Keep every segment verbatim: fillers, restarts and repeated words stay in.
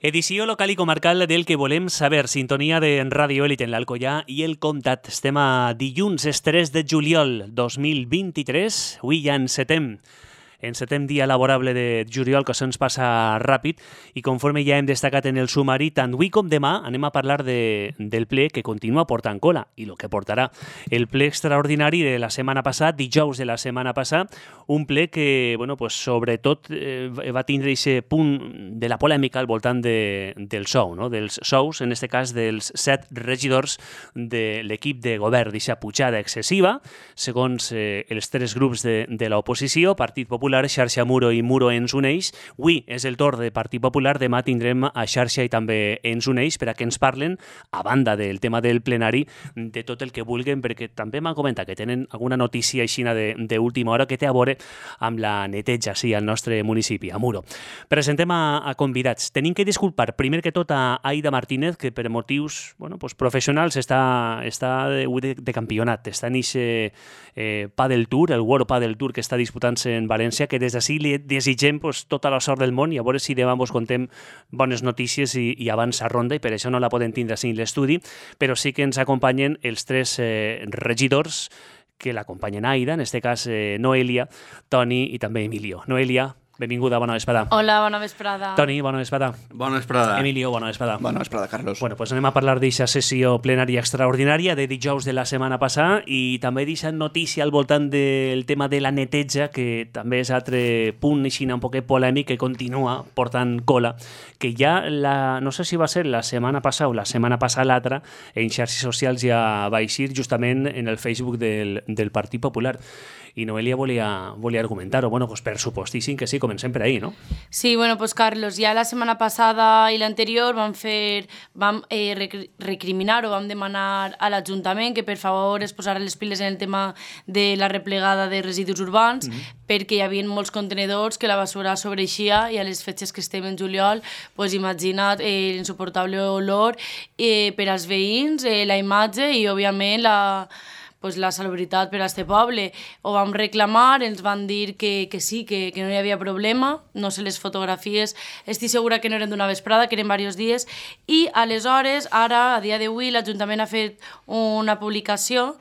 Edició local i comarcal del que volem saber. Sintonia de Ràdio Elit en l'Alcoià i el Comtat. Estem a dilluns, tres de juliol dos mil vint-i-tres. Avui ja encetem. Encetem dia laborable de juliol, que se'ns passa ràpid, i conforme ja hem destacat en el sumari, tant avui com demà anem a parlar de, del ple que continua portant cola i el que portarà. El ple extraordinari de la setmana passada, dijous de la setmana passada, un ple que, bueno, pues, sobretot eh, va tindre aquest punt de la polèmica al voltant de, del sou, no? Dels sous, en aquest cas dels set regidors de l'equip de govern, d'aquesta pujada excessiva, segons eh, els tres grups de, de l'oposició, Partit Popular, Xarxa Muro i Muro ens uneix. Avui és el torn de Partit Popular, demà tindrem a Xarxa i també ens uneix per a que ens parlen, a banda del tema del plenari, de tot el que vulguin, perquè també m'han comentat que tenen alguna notícia aixina d'última hora que té a veure amb la neteja sí, al nostre municipi, a Muro. Presentem a, a convidats. Tenim que disculpar primer que tot a Aida Martínez, que per motius bueno, pues, professionals està, està de, de, de campionat, està en aquest eh, Padel Tour, el World Padel Tour que està disputant-se en València, que des d'ací li desitgem pues, tota la sort del món i a veure si demà vos contem bones notícies i, i avança ronda, i per això no la podem tindre així en l'estudi, però sí que ens acompanyen els tres eh, regidors que l'acompanyen Aida, en aquest cas eh, Noelia, Toni i també Emilio. Noelia, benvinguda, bona vesprada. Hola, bona vesprada. Toni, bona vesprada. Bona vesprada. Emilio, bona vesprada. Bona vesprada, Carlos. Bueno, pues anem a parlar d'aquesta sessió plenària extraordinària de dijous de la setmana passada i també d'aquesta notícia al voltant del tema de la neteja, que també és altre punt així un poquet polèmic que continua portant cola, que ja, la, no sé si va ser la setmana passada o la setmana passada l'altra, en xarxes socials ja va eixir justament en el Facebook del, del Partit Popular. I Noelia volia, volia argumentar-ho. Bueno, pues per supostíssim que sí, comencem per ahí, no? Sí, bueno, pues Carlos, ja la setmana passada i l'anterior vam fer, vam eh, recriminar o vam demanar a l'Ajuntament que per favor es posara les piles en el tema de la replegada de residus urbans, mm-hmm. perquè hi havia molts contenedors que la basura sobreixia i a les fetges que estem en juliol, pues imagina't eh, l'insuportable olor eh, per als veïns, eh, la imatge i òbviament la... pues la salubritat per a este poble. Ho vam reclamar, ens van dir que, que sí, que, que no hi havia problema, no sé les fotografies, estic segura que no eren d'una vesprada, que eren diversos dies, i aleshores, ara, a dia d'avui, l'Ajuntament ha fet una publicació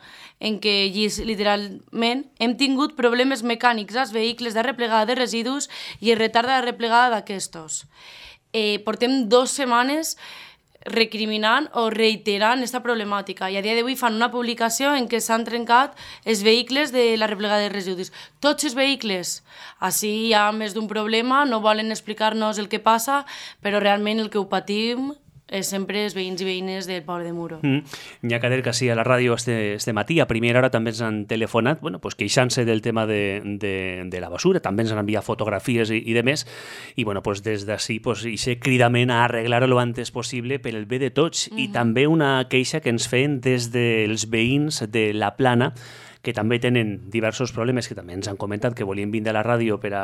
en què llis, literalment hem tingut problemes mecànics als vehicles de replegada de residus i el retard de la replegada d'aquestos. Eh, portem dues setmanes recriminant o reiterant aquesta problemàtica i a dia d'avui fan una publicació en què s'han trencat els vehicles de la replegada de residus. Tots els vehicles. Així hi ha més d'un problema, no volen explicar-nos el que passa, però realment el que ho patim és sempre els veïns i veïnes del poble de Muro. Mm. N'hi ha que dir que sí, a la ràdio este, este matí, a primera hora també ens han telefonat, bueno, pues queixant-se del tema de, de, de la basura, també ens han enviat fotografies i, i de més, i bueno, pues des d'ací, pues, ixe cridament a arreglar-ho lo antes possible per el bé de tots, mm-hmm. i també una queixa que ens feien des dels veïns de la Plana, que també tenen diversos problemes que també ens han comentat que volien vindre a la ràdio per a,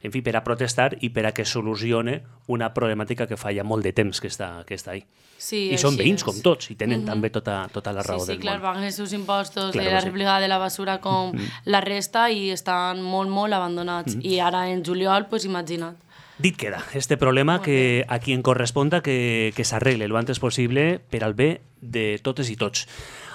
en fi, per a protestar i per a que solucione una problemàtica que fa ja molt de temps que està, que està ahí. Sí, I són veïns és. com tots i tenen mm-hmm. també tota, tota la raó sí, sí, del clar, món. paguen els seus impostos claro de la sí. replegada de la basura com mm-hmm. la resta i estan molt, molt abandonats. Mm-hmm. I ara en juliol, pues imagina't. Dit queda, este problema molt que bé. A qui en corresponda que, que s'arregle el antes possible per al bé de totes i tots.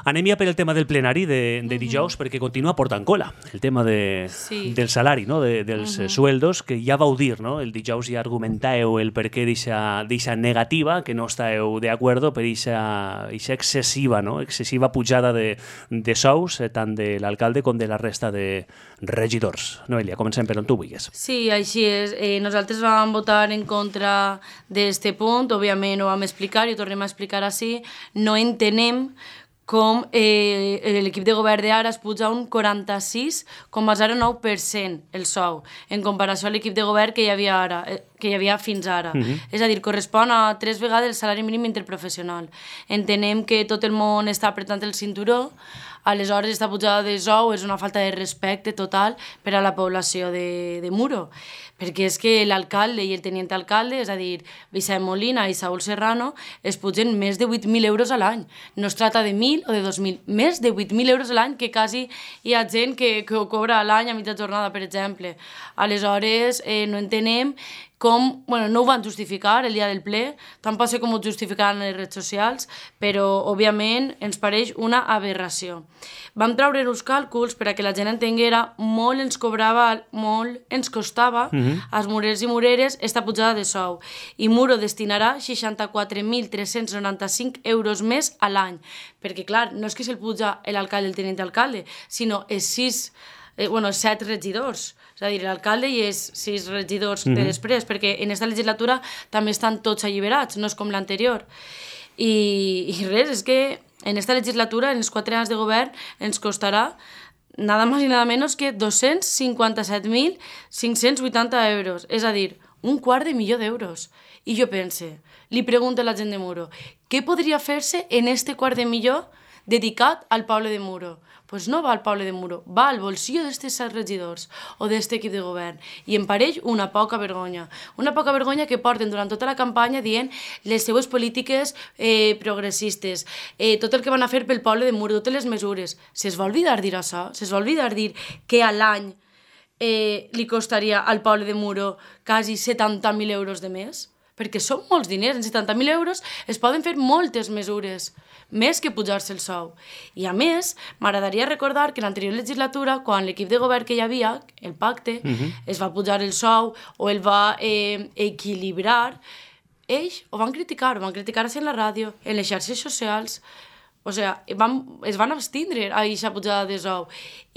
Anem ja per el tema del plenari de, de dijous, uh-huh. perquè continua portant cola, el tema de, sí. del salari, no? de, dels uh-huh. sueldos, que ja vau dir, no? El dijous ja argumentàveu el per què d'aquesta negativa, que no estàveu d'acord per aquesta excessiva, no? excessiva pujada de, de sous, eh, tant de l'alcalde com de la resta de regidors. Noelia, comencem per on tu vulguis. Sí, així és. Eh, nosaltres vam votar en contra d'este punt, òbviament ho vam explicar i ho tornem a explicar així. No entenem com eh, l'equip de govern d'ara es puja un quaranta-sis coma zero nou per cent el sou, en comparació a l'equip de govern que hi havia ara, eh, que hi havia fins ara. Uh-huh. És a dir, correspon a tres vegades el salari mínim interprofessional. Entenem que tot el món està apretant el cinturó, aleshores aquesta pujada de sou és una falta de respecte total per a la població de, de Muro. Perquè és que l'alcalde i el tenient alcalde, és a dir, Vicent Molina i Saúl Serrano, es pugen més de vuit mil euros a l'any. No es tracta de mil o de dos mil, més de vuit mil euros a l'any, que quasi hi ha gent que, que ho cobra a l'any a mitja jornada, per exemple. Aleshores, eh, no entenem com, bueno, no ho van justificar el dia del ple, tampoc sé com ho justificaran en les redes socials, però, òbviament, ens pareix una aberració. Vam treure els càlculs per a que la gent entenguera, molt ens cobrava, molt ens costava mm-hmm. als murers i mureres esta pujada de sou. I Muro destinarà seixanta-quatre mil tres-cents noranta-cinc euros més a l'any, perquè, clar, no és que se'l puja l'alcalde i el tenint d'alcalde, sinó els sis, eh, bueno, set regidors. És a dir, l'alcalde i els sis regidors mm-hmm. de després, perquè en aquesta legislatura també estan tots alliberats, no és com l'anterior. I, I res, és que en aquesta legislatura, en els quatre anys de govern, ens costarà nada más i nada menos que dos-cents cinquanta-set mil cinc-cents vuitanta euros, és a dir, un quart de milió d'euros. I jo pense, li pregunto a la gent de Muro, què podria fer-se en este quart de milió dedicat al poble de Muro? Pues no va al poble de Muro, va al bolsillo d'estes set regidors o d'este equip de govern. I em pareix una poca vergonya. Una poca vergonya que porten durant tota la campanya dient les seues polítiques eh, progressistes, eh, tot el que van a fer pel poble de Muro, totes les mesures. Se'ls va oblidar dir això? Se'ls va oblidar dir que a l'any eh, li costaria al poble de Muro quasi setanta mil euros de més? Perquè són molts diners, en setanta mil euros es poden fer moltes mesures, més que pujar-se el sou. I a més, m'agradaria recordar que l'anterior legislatura, quan l'equip de govern que hi havia, el pacte, uh-huh. es va pujar el sou o el va eh, equilibrar, ells ho van criticar, ho van criticar-se en la ràdio, en les xarxes socials, o sigui, van, es van abstindre a aquesta pujada de sou.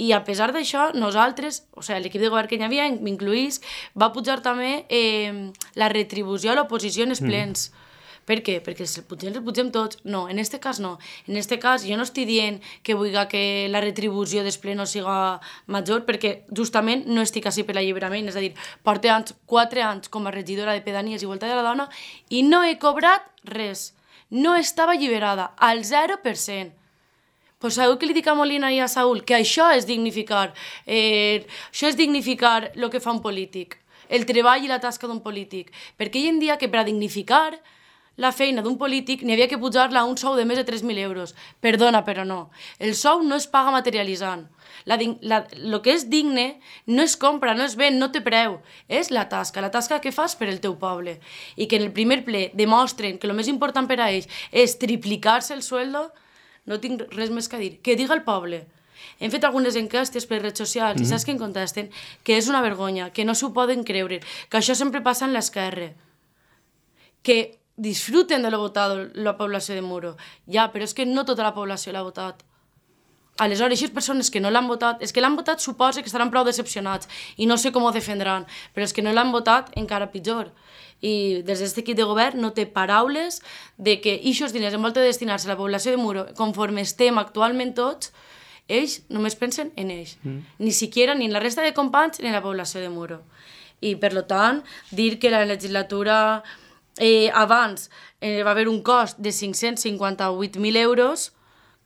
I a pesar d'això, nosaltres, o sigui, l'equip de govern que hi havia, m'incluís, va pujar també eh, la retribució a l'oposició en els plens. Mm. Per què? Perquè si el pugem, el pugem tots. No, en este cas no. En este cas jo no estic dient que vull que la retribució del ple no siga major, perquè justament no estic així per l'alliberament. És a dir, porto anys, quatre anys com a regidora de Pedanies i Igualtat de la Dona i no he cobrat res. No estava alliberada, al zero per cent. Pues sabeu que li dic a Molina i a Saúl? Que això és dignificar, eh, això és dignificar el que fa un polític, el treball i la tasca d'un polític. Perquè hi ha un dia que per a dignificar la feina d'un polític n'hi havia que pujar-la a un sou de més de tres mil euros. Perdona, però no. El sou no es paga materialitzant. La, la, lo que és digne no es compra, no es ven, no té preu. És la tasca, la tasca que fas per el teu poble. I que en el primer ple demostren que el més important per a ells és triplicar-se el sueldo, no tinc res més que dir. Que diga el poble. Hem fet algunes enquestes per redes socials mm-hmm. i saps què em contesten? Que és una vergonya, que no s'ho poden creure, que això sempre passa en l'esquerra. Que disfruten de lo votado la població de Muro. Ja, però és que no tota la població l'ha votat. Aleshores, aquestes persones que no l'han votat, és que l'han votat suposa que estaran prou decepcionats i no sé com ho defendran, però és que no l'han votat encara pitjor. I des d'aquest equip de govern no té paraules de que aquests diners en volta de destinar-se a la població de Muro, conforme estem actualment tots, ells només pensen en ells. Mm. Ni siquiera ni en la resta de companys ni en la població de Muro. I, per tant, dir que la legislatura Eh, abans eh, va haver un cost de cinc-cents cinquanta-vuit mil euros,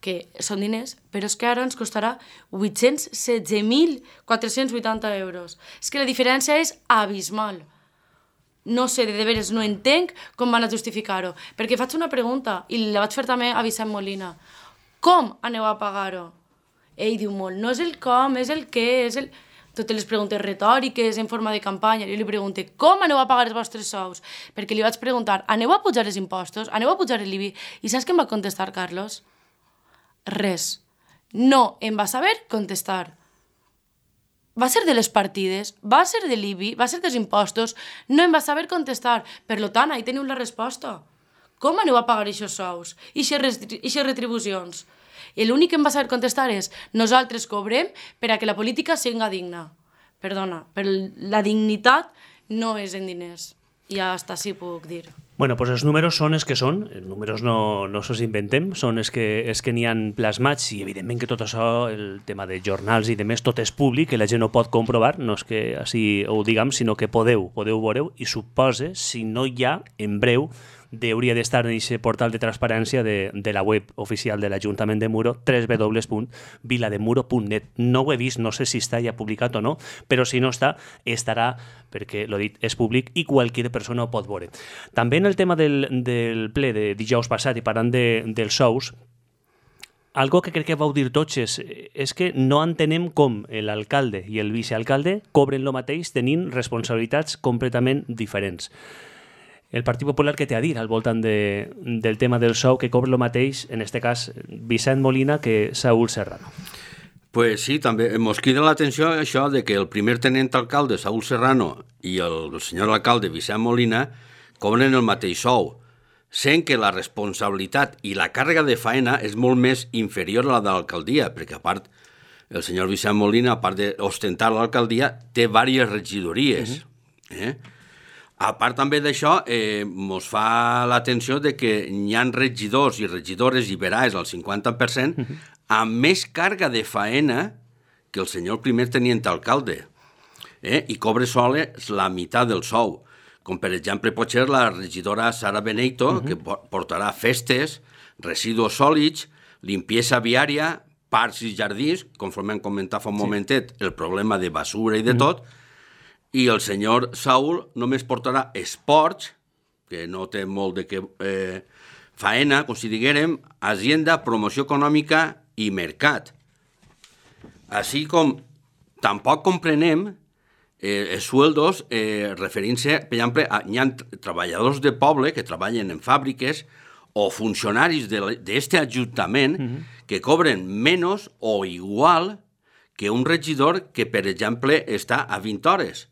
que són diners, però és que ara ens costarà vuit-cents setze mil quatre-cents vuitanta euros. És que la diferència és abismal. No sé, de veres, no entenc com van a justificar-ho. Perquè faig una pregunta, i la vaig fer també a Vicent Molina. Com aneu a pagar-ho? Ell diu molt, no és el com, és el què, és el... Totes les preguntes retòriques en forma de campanya. Jo li pregunto, com aneu a pagar els vostres sous? Perquè li vaig preguntar, aneu a pujar els impostos? Aneu a pujar l'I B I? I saps què em va contestar, Carlos? Res. No em va saber contestar. Va ser de les partides, va ser de l'I B I, va ser dels impostos, no em va saber contestar. Per tant, ahí teniu la resposta. Com aneu a pagar aquests sous? I aquestes retribucions? I l'únic que em va saber contestar és nosaltres cobrem per a que la política siga digna. Perdona, però la dignitat no és en diners. I hasta així puc dir. Bueno, pues els números són els que són, els números no, no se'ls inventem, són els que, els que n'hi han plasmats i evidentment que tot això, el tema de jornals i demés, tot és públic, que la gent ho pot comprovar, no és que així ho diguem, sinó que podeu, podeu veure i suposa, si no hi ha, en breu, hauria d'estar en aquest portal de transparència de, de la web oficial de l'Ajuntament de Muro, w w w punt vilademuro punt net. No ho he vist, no sé si està ja publicat o no, però si no està, estarà, perquè, l'ho dit, és públic i qualsevol persona ho pot veure. També en el tema del, del ple de dijous passat i parlant de, dels sous, algo que crec que vau dir tots és, és que no entenem com l'alcalde i el vicealcalde cobren el mateix tenint responsabilitats completament diferents. El Partit Popular què té a dir al voltant de, del tema del sou que cobra el mateix, en aquest cas, Vicent Molina que Saúl Serrano? Pues sí, també ens crida l'atenció això de que el primer tenent alcalde, Saúl Serrano, i el, el senyor alcalde, Vicent Molina, cobren el mateix sou, sent que la responsabilitat i la càrrega de faena és molt més inferior a la de l'alcaldia, perquè a part, el senyor Vicent Molina, a part d'ostentar l'alcaldia, té diverses regidories. Uh-huh. eh? A part també d'això, eh, mos fa l'atenció de que hi ha regidors i regidores liberals al cinquanta per cent uh-huh. amb més càrrega de faena que el senyor primer tenient alcalde, eh? i cobre sols la meitat del sou. Com per exemple pot ser la regidora Sara Beneito, uh-huh. que portarà festes, residus sòlids, limpiesa viària, parcs i jardins, conforme hem comentat fa un sí. momentet, el problema de basura i de uh-huh. tot, i el senyor Saúl només portarà esports, que no té molt de què eh, faena, com si diguérem, Hacienda, promoció econòmica i mercat. Així com tampoc comprenem eh, els sueldos eh, referint-se, per exemple, a, hi ha treballadors de poble que treballen en fàbriques o funcionaris d'aquest ajuntament uh-huh. que cobren menys o igual que un regidor que, per exemple, està a vint hores.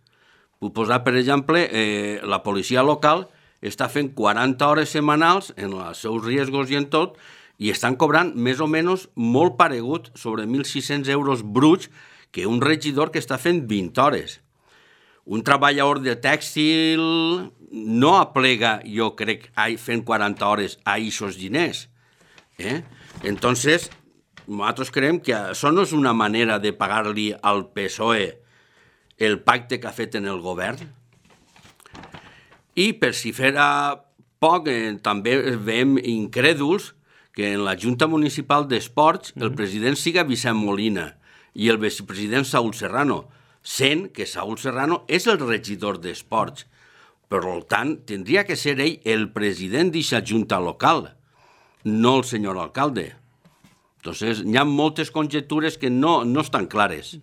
Puc posar, per exemple, eh, la policia local està fent quaranta hores setmanals en els seus riesgos i en tot, i estan cobrant més o menys molt paregut, sobre mil sis-cents euros bruts, que un regidor que està fent vint hores. Un treballador de tèxtil no aplega, jo crec, fent quaranta hores a aquests diners. Eh? Entonces, nosaltres creiem que això no és una manera de pagar-li al P S O E el pacte que ha fet en el govern. I per si fera poc, eh, també veiem incrèduls que en la Junta Municipal d'Esports mm-hmm. el president siga Vicent Molina i el vicepresident Saúl Serrano, sent que Saúl Serrano és el regidor d'Esports. Per tant, tindria que ser ell el president d'aquesta Junta local, no el senyor alcalde. Entonces, hi ha moltes conjectures que no, no estan clares.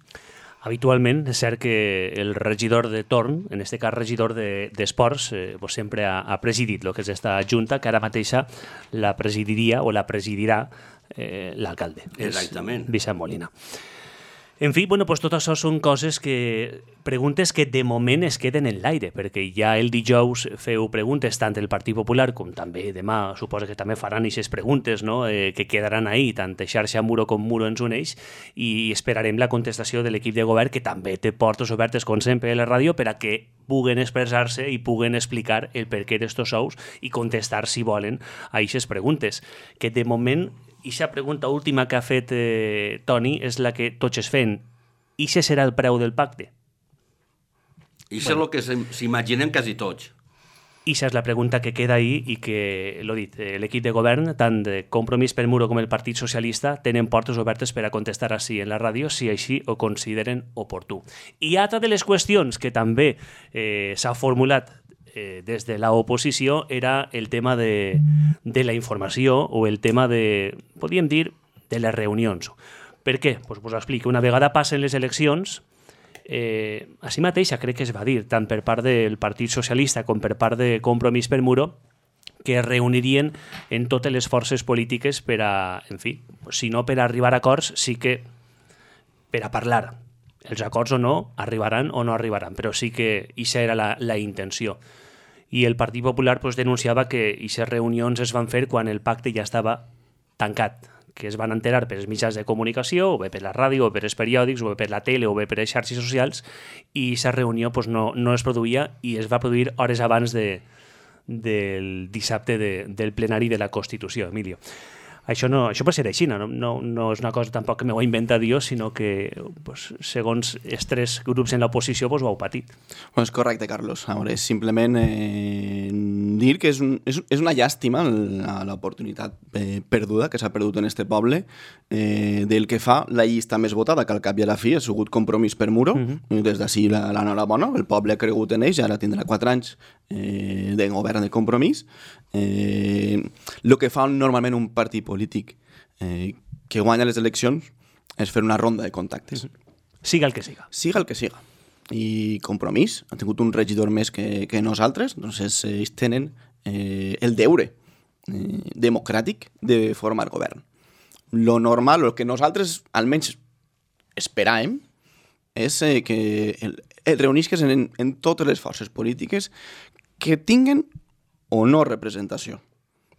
Habitualment és cert que el regidor de torn, en aquest cas regidor d'esports, de, eh, sempre ha, ha presidit el que és aquesta junta, que ara mateixa la presidiria o la presidirà eh, l'alcalde. Exactament. Vicent Molina. En fi, bueno, pues tot això són coses que... preguntes que de moment es queden en l'aire, perquè ja el dijous feu preguntes tant el Partit Popular com també demà, suposo que també faran aquestes preguntes, no? eh, que quedaran ahí, tant xarxa Muro com Muro ens uneix, i esperarem la contestació de l'equip de govern, que també té portes obertes, com sempre, a la ràdio, per a que puguen expressar-se i puguen explicar el perquè d'estos sous i contestar, si volen, a aquestes preguntes, que de moment... I la pregunta última que ha fet eh, Toni és la que tots es fem. I què serà el preu del pacte? I això bueno. és el que s'imaginem quasi tots. I això és la pregunta que queda ahí i que, l'ho dit, l'equip de govern, tant de Compromís per Muro com el Partit Socialista, tenen portes obertes per a contestar així en la ràdio, si així ho consideren oportú. I altra de les qüestions que també eh, s'ha formulat Eh, des de l'oposició era el tema de, de la informació o el tema de, podríem dir, de les reunions. Per què? Pues us explico. Una vegada passen les eleccions, eh, així mateixa crec que es va dir, tant per part del Partit Socialista com per part de Compromís per Muro, que es reunirien en totes les forces polítiques per a, en fi, si no per a arribar a acords, sí que per a parlar. Els acords o no arribaran o no arribaran, però sí que aquesta era la, la intenció. I el Partit Popular pues, denunciava que aquestes reunions es van fer quan el pacte ja estava tancat, que es van enterar per els mitjans de comunicació, o bé per la ràdio, o per els periòdics, o bé per la tele, o bé per les xarxes socials, i aquesta reunió pues, no, no es produïa i es va produir hores abans de, del dissabte de, del plenari de la Constitució, Emilio. Això, no, això pot ser així, no, no, no és una cosa tampoc que m'ho ha inventat jo, sinó que pues, segons els tres grups en l'oposició pues, ho heu patit. Bueno, és correcte, Carlos. A veure, és simplement eh, dir que és, un, és, és una llàstima l'oportunitat eh, perduda que s'ha perdut en este poble eh, del que fa la llista més votada, que al cap i a la fi ha sigut Compromís per Muro. Uh-huh. Des d'ací l'enhorabona, el poble ha cregut en ells, ara tindrà quatre anys eh, de govern de Compromís. Eh, el que fa normalment un partit polític eh, que guanya les eleccions és fer una ronda de contactes. Siga el que siga. Siga el que siga. I Compromís ha tingut un regidor més que, que nosaltres, doncs ells tenen eh, el deure eh, democràtic de formar govern. Lo normal, el que nosaltres almenys esperàvem, és eh, que el, el reunisques en, en totes les forces polítiques que tinguen o no representació.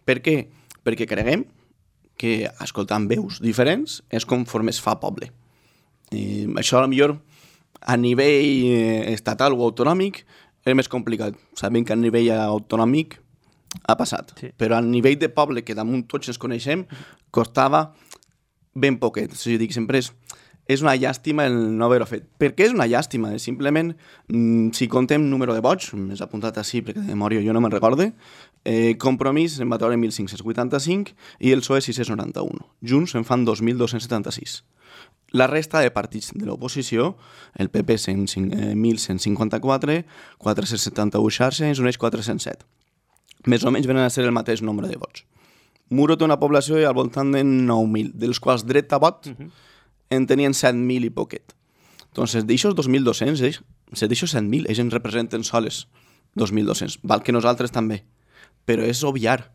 Per què? Perquè creguem que escoltant veus diferents és conforme es fa poble. I això, a lo millor, a nivell estatal o autonòmic és més complicat. Sabem que a nivell autonòmic ha passat, sí. Però a nivell de poble, que damunt tots ens coneixem, costava ben poquet. O sigui, dic, sempre és, és una llàstima el no haver-ho fet. Per què és una llàstima? Simplement, si contem número de vots, m'he apuntat així perquè de memòria jo no me'n recorde, eh, Compromís en va treure mil cinc-cents vuitanta-cinc i el P S O E sis-cents noranta-un. Junts en fan dos mil dos-cents setanta-sis. La resta de partits de l'oposició, el P P mil cent cinquanta-quatre, quatre-cents setanta-un xarxa ens uneix quatre-cents set. Més o menys venen a ser el mateix nombre de vots. Muro té una població al voltant de nou mil, dels quals dret a vot uh-huh. en tenien set mil i poquet. Entonces, d'aixòs dos mil dos-cents, ells, d'aixòs set mil, ells ens representen soles dos mil dos-cents. Val que nosaltres també. Però és obviar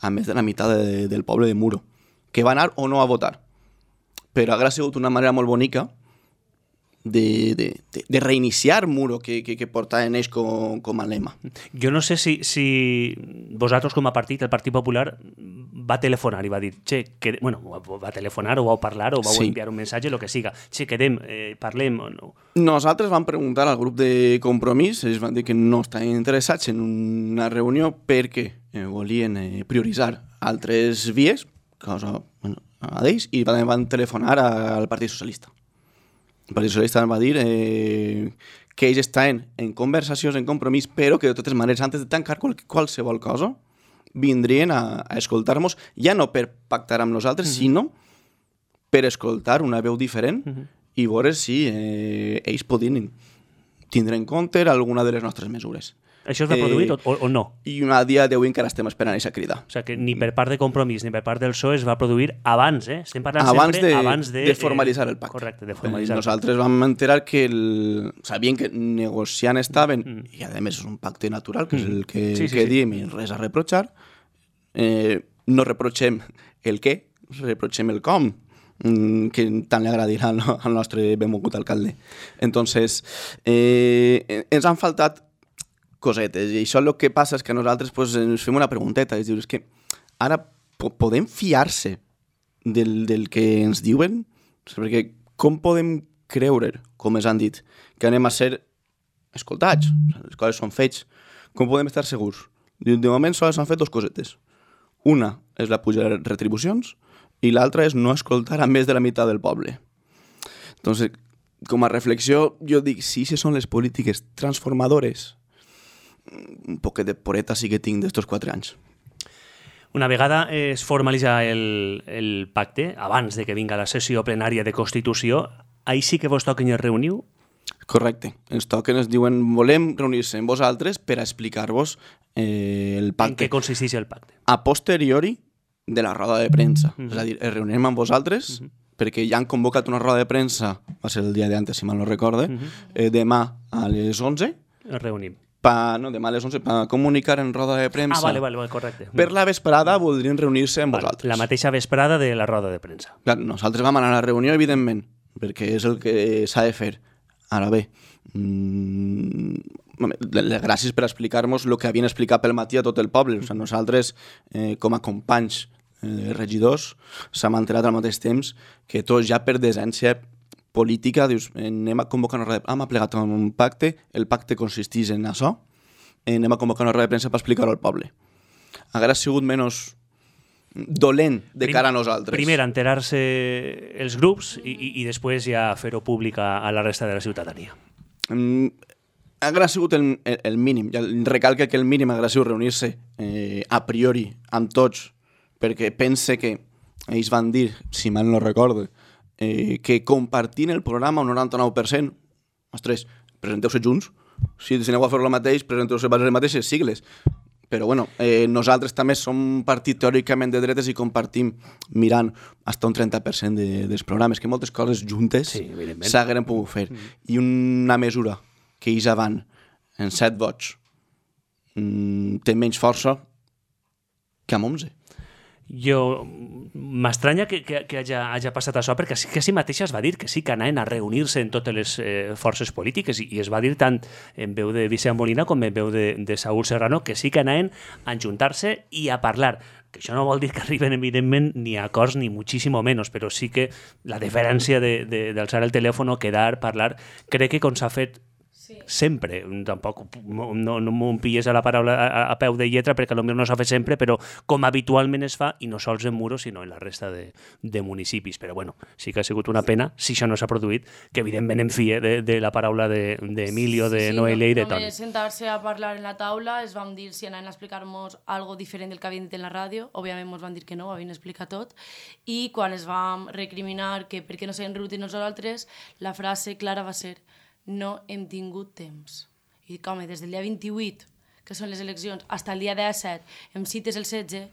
a més de la meitat de, del poble de Muro, que va anar o no a votar. Però ha sigut una manera molt bonica de, de, de, de reiniciar Muro que, que, que portaven ells com, com a lema. Jo no sé si, si vosaltres com a partit, el Partit Popular, va telefonar i va dir, che, que, bueno, va telefonar o vau parlar o vau sí. enviar un missatge, el que siga. Che, quedem, eh, parlem o no? Nosaltres vam preguntar al grup de Compromís, ells van dir que no estaven interessats en una reunió perquè eh, volien eh, prioritzar altres vies, cosa, bueno, a d'ells, i van, van telefonar al Partit Socialista. El Partit Socialista va dir eh, que ells estaven en conversacions, en Compromís, però que de totes maneres, antes de tancar qual, qualsevol cosa, vindrien a, a escoltar-nos, ja no per pactar amb nosaltres, uh-huh. sinó per escoltar una veu diferent uh-huh. i veure si eh, ells podien tindre en compte alguna de les nostres mesures. Això es va produir eh, o, o no? I una dia d'avui encara estem esperant aquesta crida. O sigui que ni per part de Compromís ni per part del P S O E es va produir abans, eh? Estem parlant abans sempre de, abans de... de formalitzar el pacte. Correcte, de formalitzar eh, Nosaltres vam enterar que el... sabien que negociant estaven, mm. i a més és un pacte natural, que mm. és el que, sí, sí, que sí. diem, i res a reprochar. Eh, no reprotxem el què, reprotxem el com, que tant li agradirà al nostre benvolgut alcalde. Entonces, eh, ens han faltat cosetes, i això el que passa és que nosaltres pues, ens fem una pregunteta, és dir, és que ara po podem fiar-se del, del que ens diuen? Perquè com podem creure, com ens han dit, que anem a ser escoltats? Les coses són fets. Com podem estar segurs? De moment sols s'han fet dues cosetes. Una és la puja de retribucions i l'altra és no escoltar a més de la meitat del poble. Entonces, com a reflexió, jo dic, si aquestes són les polítiques transformadores, un poquet de poreta sí que tinc d'estos quatre anys. Una vegada es formalitza el, el pacte, abans de que vinga la sessió plenària de Constitució, ahí sí que vos toquen i es reuniu? Correcte. Ens toquen, ens diuen, volem reunir-se amb vosaltres per a explicar-vos eh, el pacte. En què consisteix el pacte? A posteriori de la roda de premsa. Mm-hmm. És a dir, es reunirem amb vosaltres, mm-hmm. perquè ja han convocat una roda de premsa, va ser el dia d'antes, si mal no recorde, mm-hmm. eh, demà a les onze. Es reunim. Pa, no, demà a les onze, per comunicar en roda de premsa. Ah, vale, vale, vale, correcte. Per la vesprada voldrien reunir-se amb vale, vosaltres. La mateixa vesprada de la roda de premsa. Clar, nosaltres vam anar a la reunió, evidentment, perquè és el que s'ha de fer. Ara bé, mmm, gràcies per explicar-nos el que havien explicat pel matí a tot el poble. O sigui, nosaltres, eh, com a companys eh, regidors, s'hem enterat al mateix temps que tots ja per decència política, dius, anem a convocar una roda de premsa, hem plegat un pacte, el pacte consisteix en això, anem a convocar una roda de premsa per explicar-ho al poble. Hauria sigut menys dolent de cara a nosaltres. Primer, enterar-se els grups i, i, i després ja fer-ho públic a, a la resta de la ciutadania. Mm, hauria sigut el, el, el mínim. Ja recalca que el mínim hauria sigut reunir-se eh, a priori amb tots, perquè pense que ells van dir, si mal no recorde, Eh, que compartint el programa un noranta-nou per cent, ostres, presenteu-se junts, si aneu a fer el mateix, presenteu-se per les mateixes sigles, Però bueno, eh, nosaltres també som un partit teòricament de dretes i compartim mirant fins un trenta per cent de, dels programes, que moltes coses juntes sí, s'hagueren pogut fer. Mm. I una mesura que ells van en set vots mm, té menys força que amb onze. Jo m'estranya que, que, que hagi, hagi passat això, perquè sí que sí mateixa es va dir que sí que anaven a reunir-se en totes les eh, forces polítiques i, i es va dir tant en veu de Vicent Molina com en veu de, de Saúl Serrano que sí que anaven a ajuntar-se i a parlar. Que això no vol dir que arriben, evidentment, ni a acords ni muchísimo menos, però sí que la diferència de, de, d'alçar el telèfon, quedar, parlar, crec que com s'ha fet sí. sempre, tampoc no, no m'ho pilles a la paraula a, a peu de lletra perquè potser no s'ha fet sempre, però com habitualment es fa, i no sols en Muro sinó en la resta de, de municipis. Però bueno, sí que ha sigut una pena, si això no s'ha produït, que evidentment em fie de, de la paraula d'Emilio, de, de sí, Noelia i de Toni. Només sentar-se a parlar en la taula, es vam dir si anaven a explicar-nos algo diferent del que havien dit en la ràdio, òbviament ens van dir que no, havien explicat tot, i quan es vam recriminar que per què no s'havien reunit nosaltres, la frase clara va ser no hem tingut temps. I dic, home, des del dia vint-i-vuit, que són les eleccions, fins al dia disset, em cites el setze,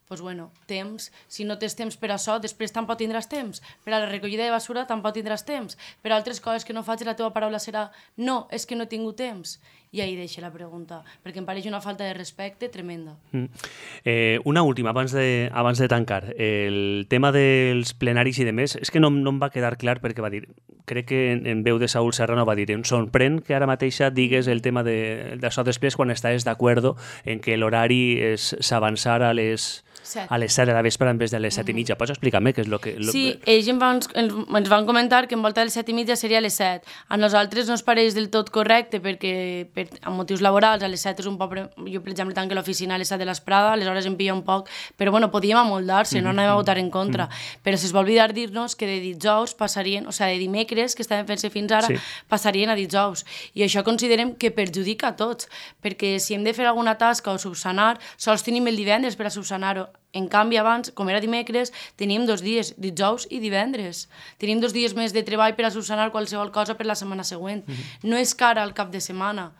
doncs, bueno, temps, si no tens temps per això, després tampoc tindràs temps. Per a la recollida de basura tampoc tindràs temps. Per a altres coses que no faig, la teva paraula serà no, és que no he tingut temps. I ahí deixo la pregunta, perquè em pareix una falta de respecte tremenda. Mm. Eh, una última, abans de, abans de tancar. El tema dels plenaris i de més, és que no, no em va quedar clar perquè va dir, crec que en, en veu de Saúl Serrano va dir, em sorprèn que ara mateixa digues el tema d'això de, després quan estàs d'acord en que l'horari s'avançara a les... Set. A les set de la vespre en vez de les set i mitja. Pots explicar-me què és el que... Lo... Sí, ells em van, ens van comentar que en volta de les set i mitja seria a les set. A nosaltres no ens pareix del tot correcte perquè per, amb motius laborals a les set és un poc... Jo, per exemple, tanco l'oficina a les set de l'Esprada, aleshores em pilla un poc... Però bueno, podíem amoldar-se, no anem a votar en contra. Però si es va oblidar dir-nos que de dijous passarien... O sigui, de dimecres, que estaven fent-se fins ara, sí. passarien a dijous. I això considerem que perjudica a tots, perquè si hem de fer alguna tasca o subsanar, sols tenim el divendres per a subsanar-ho. En canvi, abans, com era dimecres, teníem dos dies, dijous i divendres. Teníem dos dies més de treball per a subsanar qualsevol cosa per la setmana següent. Mm-hmm. No és cara al cap de setmana.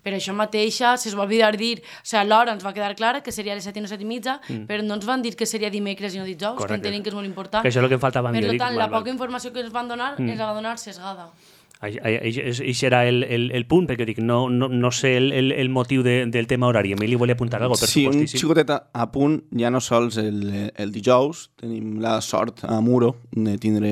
Per això mateixa se'ns va oblidar dir... O sigui, l'hora ens va quedar clara que seria a les set i no set i mitja, mm. però no ens van dir que seria dimecres i no dijous, correcte. Que entenem que és molt important. Que això és el que em faltava a mi. Per tant, la poca informació que ens van donar mm. ens la va donar sesgada. Això era el, el, el punt, perquè dic, no, no, no sé el, el, el motiu de, del tema horari. Emili volia apuntar alguna cosa, per sí, supostíssim. Sí, un xicotet a, a punt, ja no sols el, el dijous, tenim la sort a Muro de tindre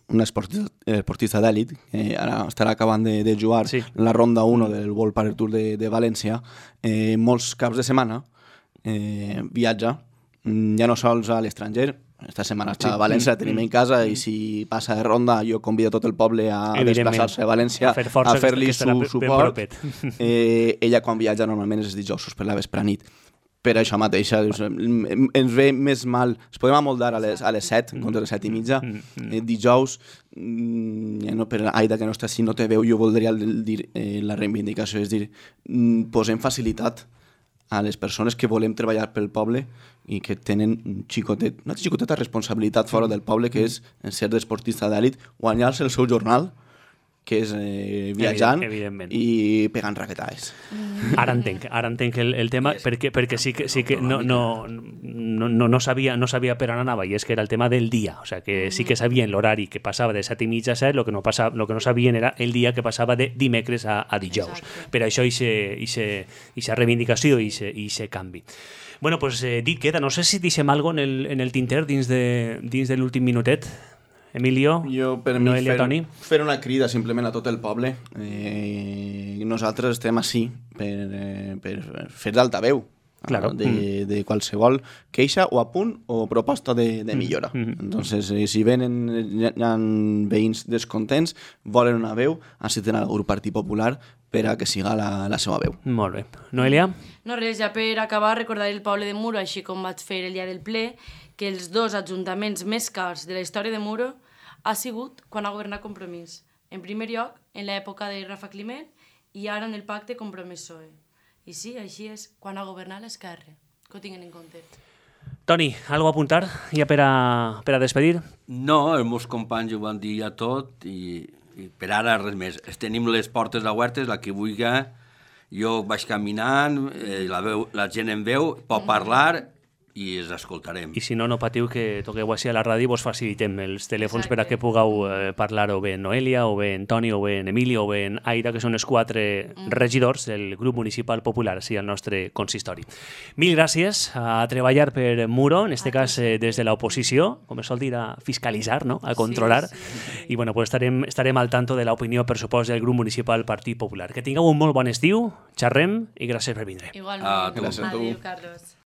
un esportista, esportista d'èlit, que ara estarà acabant de, de jugar sí. la ronda u del World Padel Tour de, de València. Eh, molts caps de setmana eh, viatja, ja no sols a l'estranger. Esta setmana està a València, la tenim en casa i si passa de ronda jo convido tot el poble a desplaçar-se a València a, fer a fer-li su suport. Eh, ella quan viatja normalment és dijous per la vespre nit. Per això mateixa ens ve més mal, ens podem amoldar a les, a les set, contra les set i mitja, eh, dijous, ja no, per Aida que no està així, no té veu, jo voldria dir eh, la reivindicació, és dir, posem facilitat a les persones que volem treballar pel poble i que tenen un xicotet, una xicoteta responsabilitat fora del poble, que és ser d'esportista d'èlit, guanyar-se el seu jornal, que és eh, viatjant i pegant raquetades. Ara entenc, ara entenc el, el tema, perquè, perquè sí que, sí que no, no, no, no, no, sabia, no sabia per on anava, i és que era el tema del dia, o sea, que sí que sabien l'horari que passava de set i mitja a set, el que no, passava, lo que no sabien era el dia que passava de dimecres a, a dijous. Exacte. Per això aquesta reivindicació i aquest canvi. Bueno, pues eh, dit queda, no sé si deixem alguna cosa en el, en el tinter dins de, dins de l'últim minutet. Emilio, jo, per mi, Noelia, fer, Toni. Fer una crida simplement a tot el poble. Eh, nosaltres estem així per, eh, per fer d'altaveu claro. de, mm. de qualsevol queixa o apunt o proposta de, de millora. Mm. Entonces, eh, si venen hi ha veïns descontents, volen una veu, necessiten el grup Partit Popular per a que siga la, la seva veu. Molt bé. Noelia? No res, ja per acabar, recordar el poble de Muro, així com vaig fer el dia del ple, que els dos ajuntaments més cars de la història de Muro ha sigut quan ha governat Compromís. En primer lloc, en l'època de Rafa Climent, i ara en el pacte Compromís-P S O E. I sí, així és, quan ha governat l'Esquerra. Que ho tinguin en compte. Toni, alguna a apuntar ja per a, per a despedir? No, els meus companys ho van dir ja tot i, i per ara res més. Tenim les portes obertes, la que vulgui, Jo vaig caminant, eh, la, veu, la gent em veu, pot parlar i els escoltarem. I si no, no patiu que toqueu així a la ràdio i vos facilitem els telèfons Exacte. per a que pugueu eh, parlar o bé en Noelia, o bé en Toni, o bé en Emilio, o bé en Aira, que són els quatre mm. regidors del grup municipal popular, així al nostre consistori. Mil gràcies a treballar per Muro, en este cas eh, des de l'oposició, com es sol dir, a fiscalitzar, no? A controlar. Sí, sí. I bueno, pues estarem, estarem al tanto de l'opinió, per supost, del grup municipal Partit Popular. Que tingueu un molt bon estiu, xerrem i gràcies per vindre. Igualment. Ah, gràcies a tu. Adéu, Carlos.